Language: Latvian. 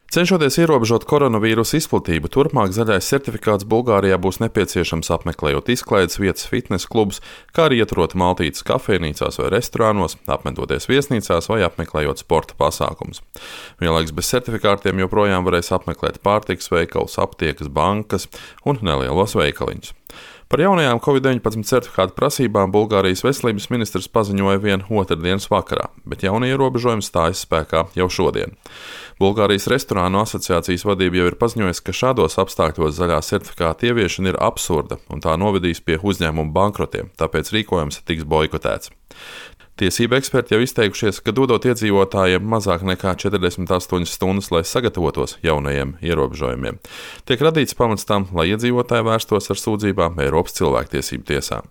Cenšoties ierobežot koronavīrusa izplatību, turpmāk zaļais certifikāts Bulgārijā būs nepieciešams apmeklējot izklaides vietas, fitnesa klubus, kā arī ieturot maltītes kafejnīcās vai restorānos, apmetoties viesnīcās vai apmeklējot sporta pasākumus. Vienlaikus bez certifikātiem joprojām varēs apmeklēt pārtikas veikalus, aptiekas, bankas un nelielos veikaliņus. Par jaunajām Covid-19 certifikātu prasībām Bulgārijas veselības ministrs paziņoja vien otrdienas vakarā, bet jaunie ierobežojumi stājas spēkā jau šodien. Bulgārijas restorānu asociācijas vadība jau ir paziņojusi, ka šādos apstākļos zaļā certifikāta ieviešana ir absurda un tā novedīs pie uzņēmumu bankrotiem, tāpēc rīkojums tiks boikotēts. Tiesība eksperti jau izteikušies, ka dodot iedzīvotājiem mazāk nekā 48 stundas, lai sagatavotos jaunajiem ierobežojumiem, tiek radīts pamats tam, lai iedzīvotāji vērstos ar sūdzībām Eiropas cilvēktiesību tiesā.